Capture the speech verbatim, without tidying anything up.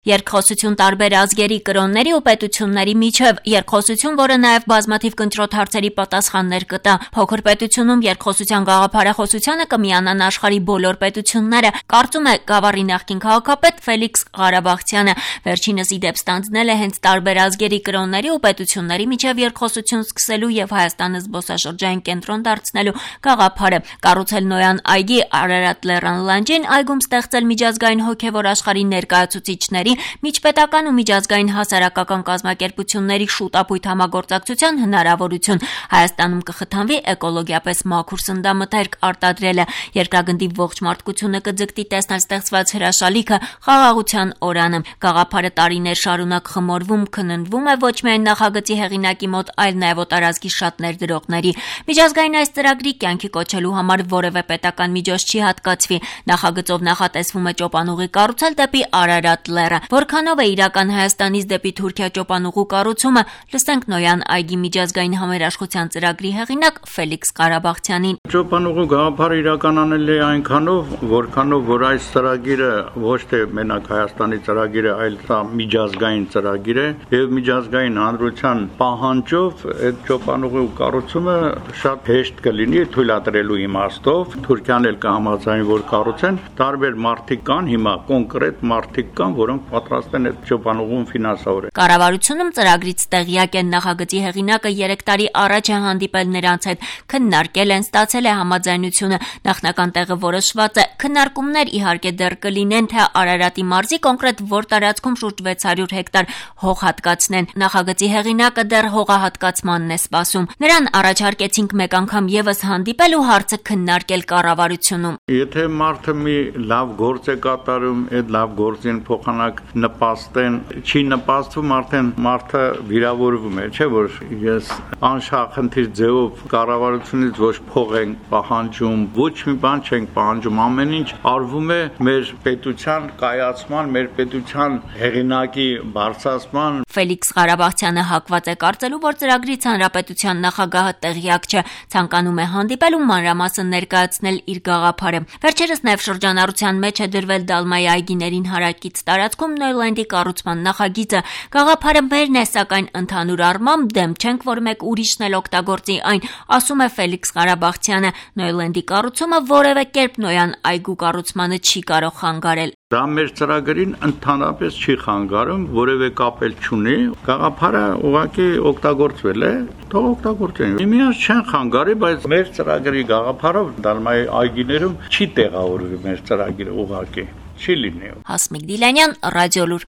Երկխոսություն տարբեր ազգերի, կրոնների ու պետությունների միջև, երկխոսություն, որը նաև բազմաթիվ կնճռոտ հարցերի պատասխաններ կտա։ Փոքր պետությունում երկխոսության գաղափարախոսությանը կմիանան աշխարհի բոլոր պետությունները, կարծում է Գավառի նախկին քաղաքապետ Ֆելիքս Ղարաբաղցյանը։ Վերջինս ի դեպ ստանձնել է հենց տարբեր ազգերի, կրոնների ու պետությունների միջև երկխոսություն սկսելու եւ Հայաստանը զբոսաշրջային կենտրոն դարձնելու գաղափարը։ Կառուցել Նոյան այգի Արարատ լեռան լանջին, այգում ստեղծել միջազգային հոգեվոր աշխարհի ներկայացուցիչների, միջպետական ու միջազգային հասարակական կազմակերպությունների շուտապույտ համագործակցության հնարավորություն, Հայաստանում կխթանվի էկոլոգիապես մաքուր սննդամթերք արտադրելը, երկրագնդի ողջ մարդկությունը կձգտի տեսնել ստեղծված հրաշալիքը խաղաղության օրանը։ Գաղափարը տարիներ շարունակ խմորվում, քննվում է ոչ միայն նախագծի հեղինակի մոտ, այլ նաև օտարազգի շատ ներդրողների։ Միջազգային այս ծրագրի կյանքի կոչելու համար որևէ պետական միջոց չի հատկացվի։ Նախագծով նախատեսվում է ճոպանուղի կառուցել դեպի Արարատ լեռը։ Որքանով է իրական Հայաստանից դեպի Թուրքիա ճոպանուղու կառուցումը, լսենք Նոյան այգի միջազգային համերաշխության ծրագրի հեղինակ Ֆելիքս Ղարաբաղցյանին։ Ճոպանուղու գաղափարը իրականանել է այնքանով, որքանով որ այս ծրագիրը ոչ թե մենակ Հայաստանի ծրագիր է, այլ սա միջազգային ծրագիր է եւ միջազգային հանրության պահանջով այդ ճոպանուղու կառուցումը շատ հեշտ կլինի թույլատրելու իմաստով։ Թուրքիան էլ կհամաձայնի, որ կառուցեն, տարբեր մարդիկ կան, հիմա կոնկրետ մարդիկ կան, որոնք պատրաստ են այդ ճոպանուղուն ֆինանսավորել։ Կառավարությունում ծրագրից տեղյակ են, նախագծի հեղինակը երեք տարի առաջ է հանդիպել նրանց հետ, քննարկել են, ստացել է համաձայնությունը, նախնական տեղը որոշված է։ Քննարկումներ իհարկե դեռ կլինեն, թե Արարատի մարզի կոնկրետ որ տարածքում շուրջ վեց հարյուր հեկտար հող հատկացնեն։ Նախագծի հեղինակը դեռ հողահատկացմանն է սպասում։ Նրան առաջարկեցինք մեկ անգամ եւս հանդիպել ու հարցը քննարկել կառավարությունում։ Եթե մարդը մի լավ գործ է կատարում, այդ լավ գործին փոխանակ նպաստեն, չի նպաստվում, արդեն մարդը վիրավորվում է, չէ՞ որ ես անշախնդիր ձևով կառավարությունից ոչ փող ենք պահանջում, ոչ մի բան չենք պահանջում, ամեն ինչ արվում է մեր պետության կայացման, մեր պետության հեղինակի բարձրացման։ Ֆելիքս Ղարաբաղցյանը հակված է կարծելու, որ ծրագրից հանրապետության նախագահը տեղյակ չէ, ցանկանում է հանդիպել ու մանրամասն ներկայացնել իր գաղափարը։ Վերջերս նաև շրջանառության մեջ է դրվել Դալմայի այգիներին հարակից տարածքում Նոյլենդի կառուցման նախագիծը։ Գաղափարը մերն է, սակայն ընդհանուր առմամբ դեմ չենք, որ մեկ ուրիշն էլ օգտագործի այն, ասում է Ֆելիքս Ղարաբաղցյանը։ Նոյլենդի կառուցումը որևէ կերպ Նոյան այգու կառուցմանը չի կարող խանգարել։ Դա մեր ծրագրին ընդհանրապես չի խանգարում, որևէ կապ էլ չունի։ Գաղափարը ուղղակի օգտագործվել է, թող օգտագործեն։ Միմյանց չեն խանգարի, բայց մեր ծրագրի գաղափարով Դալմայի այգիներում չի տեղավորվի մեր ծրագիրը ուղղակի, չի լինի։ Հասմիկ Դիլանյան, Ռադիոլուր։